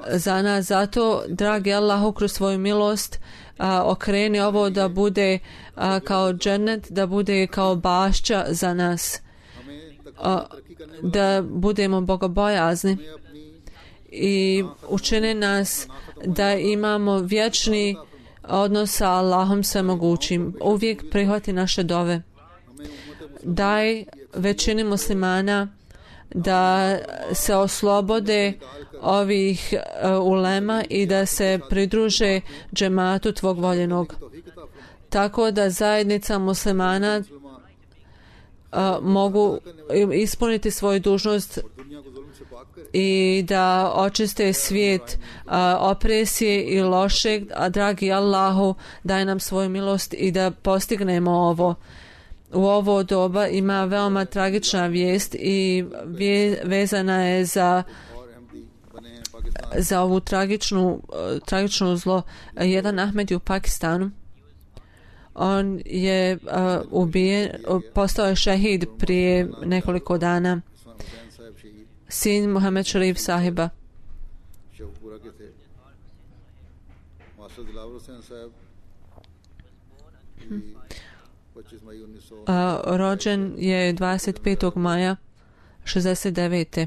za nas. Zato, dragi Allahu, kroz svoju milost uh, okreni ovo da bude uh, kao džennet, da bude kao bašća za nas. Uh, da budemo bogobojazni i učini nas da imamo vječni odnos sa Allahom svemogućim. Uvijek prihvati naše dove. Daj većini muslimana da se oslobode ovih uh, ulema i da se pridruže džematu tvog voljenog. Tako da zajednica muslimana uh, mogu ispuniti svoju dužnost i da očiste svijet uh, opresije i lošeg, a dragi Allahu, daj nam svoju milost i da postignemo ovo. U ovo doba ima veoma tragična vijest i vje, vezana je za za ovu tragičnu, uh, tragičnu zlo. Jedan Ahmedi u Pakistanu, on je uh, ubijen, postao je šehid prije nekoliko dana. Sin Muhammed Sharif sahiba. Uh, rođen je dvadeset petog maja šezdeset devete.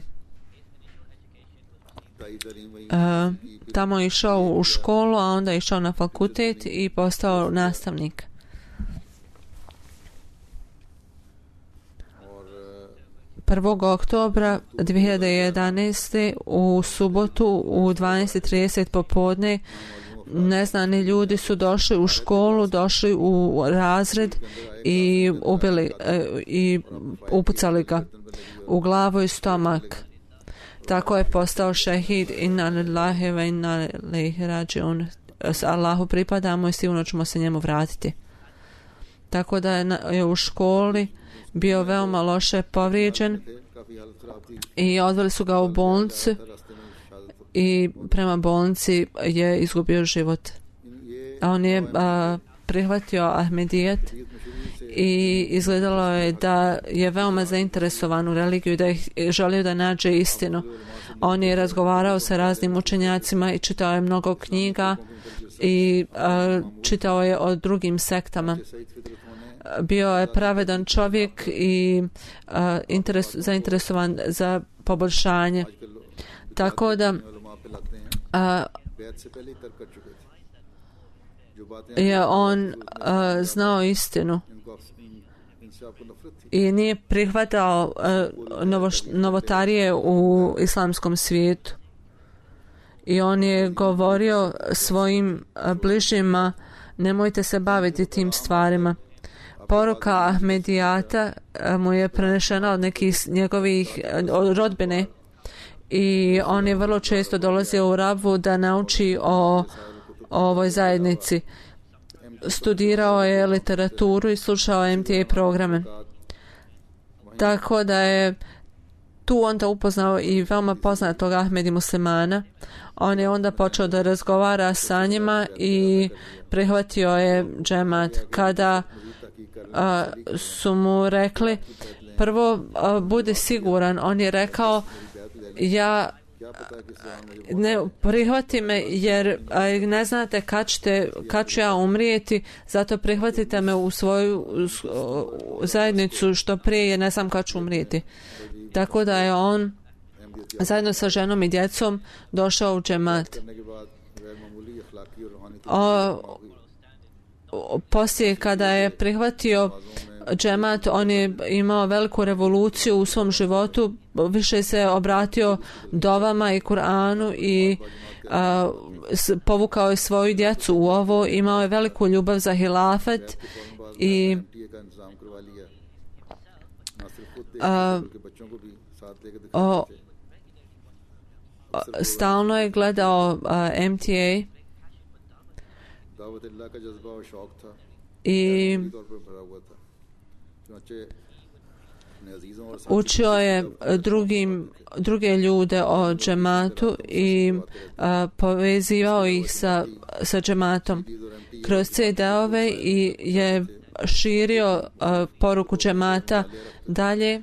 Uh, tamo je išao u školu, a onda je išao na fakultet i postao nastavnik. prvog oktobra dvije hiljade jedanaeste u subotu u dvanaest i trideset popodne neznani ljudi su došli u školu, došli u razred i ubili e, i upucali ga u glavu i stomak. Tako je postao šehid. Inna lillahi wa inna ilaihi rađiun. Allahu pripadamo i sigurno ćemo se njemu vratiti. Tako da je, na, je u školi bio veoma loše povrijeđen i odveli su ga u bolnicu i prema bolnici je izgubio život. A on je a, prihvatio Ahmedijet i izgledalo je da je veoma zainteresovan u religiju i da je želio da nađe istinu. On je razgovarao sa raznim učenjacima i čitao je mnogo knjiga i a, čitao je o drugim sektama. Bio je pravedan čovjek i uh, interes, zainteresovan za poboljšanje. Tako da uh, je on uh, znao istinu i nije prihvatao uh, novo, novotarije u islamskom svijetu. I on je govorio svojim uh, bližnjima, nemojte se baviti tim stvarima. Poruka Ahmedijata mu je prenešena od nekih njegovih od rodbine i on je vrlo često dolazio u Rabvu da nauči o, o ovoj zajednici. Studirao je literaturu i slušao M T A programe. Tako da je tu onda upoznao i veoma poznatog Ahmedi muslimana. On je onda počeo da razgovara sa njima i prihvatio je džemat. Kada a, su mu rekli prvo a, bude siguran, on je rekao ja ne prihvati me jer a, ne znate kad, ćete, kad ću ja umrijeti, zato prihvatite me u svoju u zajednicu što prije jer ne znam kad ću umrijeti. Tako da je on zajedno sa ženom i djecom došao u džemat. O, poslije kada je prihvatio džemat, on je imao veliku revoluciju u svom životu, više se obratio dovama i Kur'anu i a, s, povukao je svoju djecu u ovo, imao je veliku ljubav za hilafet i a, o, stalno je gledao a, M T A i učio je drugim, druge ljude o džematu i a, povezivao ih sa, sa džematom kroz C D-ove i je širio a, poruku džemata dalje.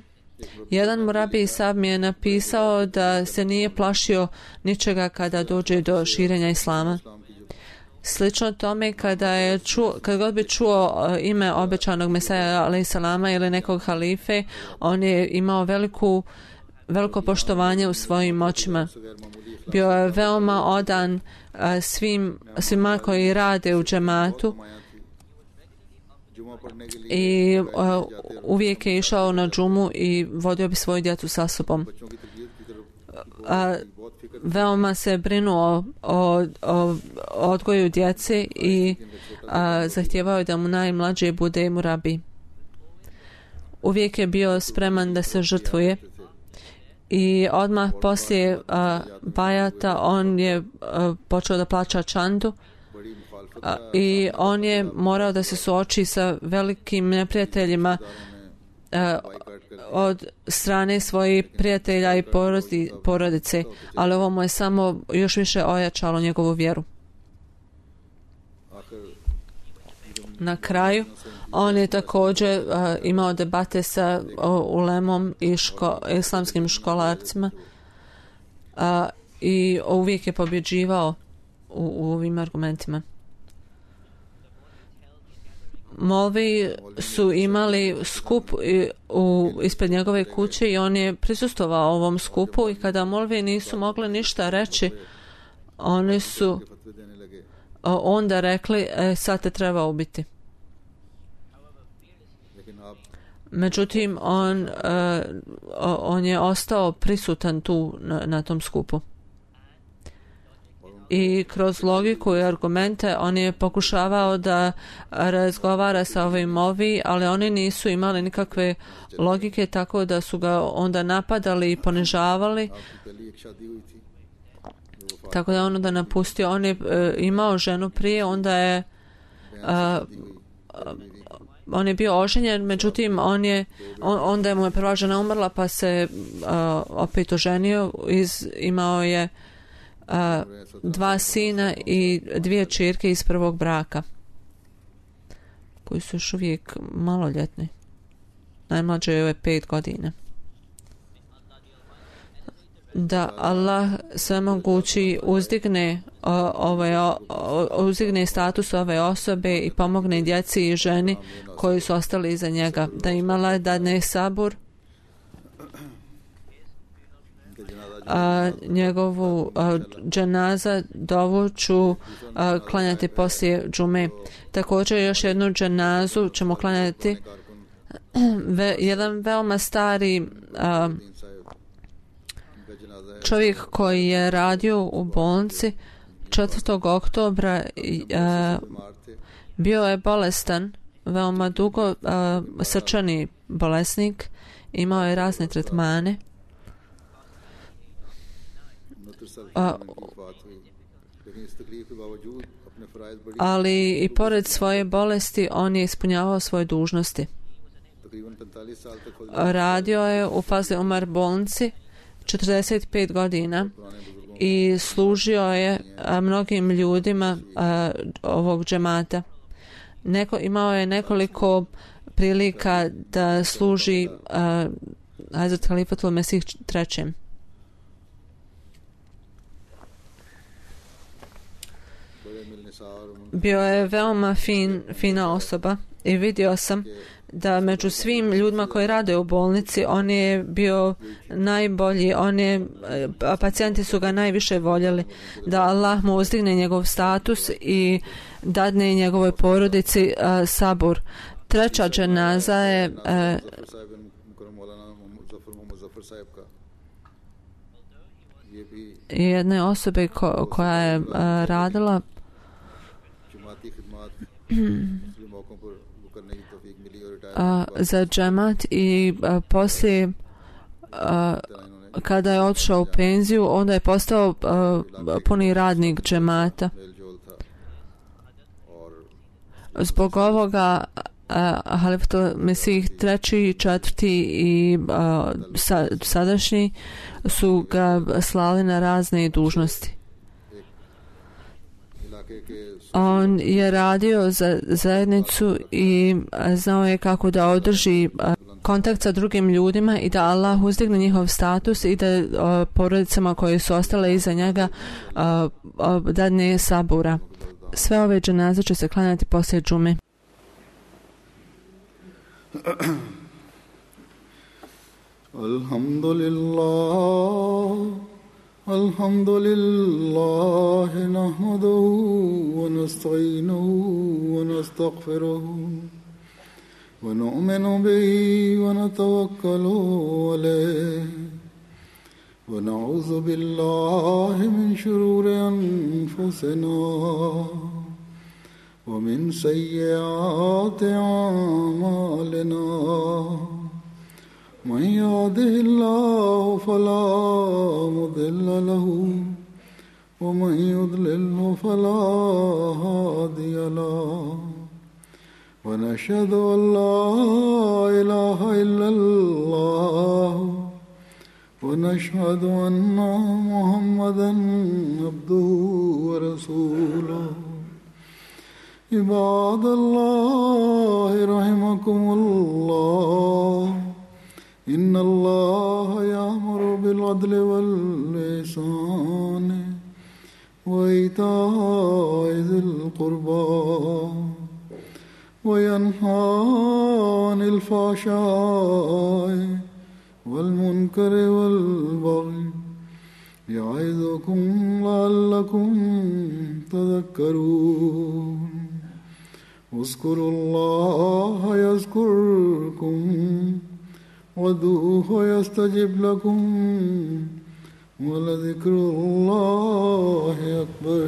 Jedan murabi sab mi je napisao da se nije plašio ničega kada dođe do širenja islama. Slično tome kada je čuo, kad god bi čuo uh, ime obećanog Mesaja alejhi salama ili nekog halife, on je imao veliku, veliko poštovanje u svojim očima. Bio je veoma odan uh, svim, svima koji rade u džematu i uh, uvijek je išao na džumu i vodio bi svoju djecu sa sobom. Uh, veoma se brinuo o, o odgoju djece i uh, zahtijevao da mu najmlađi bude murabi. Uvijek je bio spreman da se žrtvuje i odmah poslije uh, bajata on je uh, počeo da plaća čandu uh, i on je morao da se suoči sa velikim neprijateljima uh, od strane svojih prijatelja i porodi, porodice, ali ovo mu je samo još više ojačalo njegovu vjeru. Na kraju on je također uh, imao debate sa uh, ulemom i ško, islamskim školarcima uh, i uvijek je pobjeđivao u, u ovim argumentima. Molvi su imali skup u, ispred njegove kuće i on je prisustvovao ovom skupu i kada molvi nisu mogli ništa reći, oni su uh, onda rekli e, sad te treba ubiti. Međutim, on, uh, on je ostao prisutan tu na, na tom skupu. I kroz logiku i argumente on je pokušavao da razgovara sa ovim molvi, ali oni nisu imali nikakve logike, tako da su ga onda napadali i ponižavali. Tako da on onda napustio. On je uh, imao ženu prije, onda je uh, on je bio oženjen, međutim on je on, onda je mu je prva žena umrla pa se uh, opet oženio, iz, imao je uh, dva sina i dvije ćerke iz prvog braka koji su još uvijek maloljetni. Najmlađe je pet godina. Da Allah svemogući uzdigne uh, ove, uh, uzdigne status ove osobe i pomogne djeci i ženi koji su ostali iza njega, da imala dadne sabur, a njegovu a, dženaza dovuću a, klanjati poslije džume. Također još jednu dženazu ćemo klanjati. Ve, jedan veoma stari a, čovjek koji je radio u bolnici četvrtog oktobra a, bio je bolestan veoma dugo, a, srčani bolesnik, imao je razne tretmane. A, ali i pored svoje bolesti on je ispunjavao svoje dužnosti. Radio je u Fazl Umar bolnici četrdeset pet godina i služio je a, mnogim ljudima a, ovog džemata. Neko, imao je nekoliko prilika da služi a, Hazrat Halifatul Mesih trećem. Bio je veoma fin, fina osoba i vidio sam da među svim ljudima koji rade u bolnici on je bio najbolji, on je, pacijenti su ga najviše voljeli, da Allah mu uzdigne njegov status i dadne njegovoj porodici uh, sabur. Treća dženaza je uh, jedne osobe ko, koja je uh, radila Uh, za džemat i uh, poslije uh, kada je otišao u penziju onda je postao uh, puni radnik džemata. Zbog ovoga uh, Halifatul Mesih treći, četvrti i uh, sa, sadašnji su ga slali na razne dužnosti. On je radio za zajednicu i znao je kako da održi kontakt sa drugim ljudima i da Allah uzdigne njihov status i da o, porodicama koje su ostale iza njega o, o, dadne sabura. Sve ove dženaze će se klanjati poslije džume. Alhamdulillah الحمد لله نحمده ونستعينه ونستغفره ونؤمن به ونتوكل عليه ونعوذ بالله من شرور أنفسنا ومن سيئات أعمالنا من يهده الله فلا مضل له ومن يضلله فلا هادي له ونشهد أن لا إله إلا الله ونشهد أن محمدا عبده ورسوله عباد الله رحمكم الله إن الله يأمر بالعدل والإحسان وإيتاء ذي القربى وينهى عن الفحشاء والمنكر والبغي يعظكم لعلكم تذكرون اذكروا الله يذكركم وادعوه يستجب لكم ولذكر الله أكبر.